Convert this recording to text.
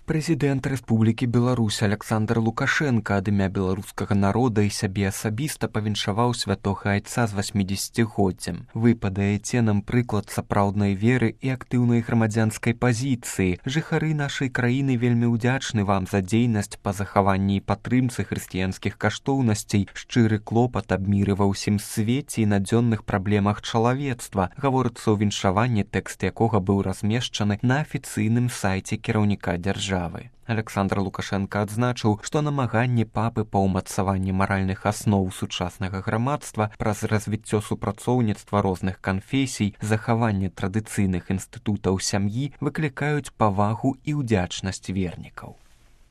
Прэзідэнт Рэспублікі Беларусь Аляксандр Лукашенка ад імя беларускага народа і сябе асабіста павіншаваў святога айца з 80-годдзям. Вы падаеце нам прыклад сапраўднай веры і актыўнай грамадзянскай пазіцыі. Жыхары нашай краіны вельмі ўдзячны вам за дзейнасць па захаванні і падтрымцы хрысціянскіх каштоўнасцей, шчыры клопат аб міры ва ўсім свеце і надзённых праблемах чалавецтва, гаворыцца ў віншаванні, тэкст якога быў размешчаны на афіцыйным сайце кіраўніка дзяржавы. Аляксандр Лукашенка адзначыў, што намаганні папы па ўмацаванні маральных асноў сучаснага грамадства праз развіццё супрацоўніцтва розных канфесій, захаванне традыцыйных інстытутаў сям'і выклікаюць павагу і ўдзячнасць вернікаў.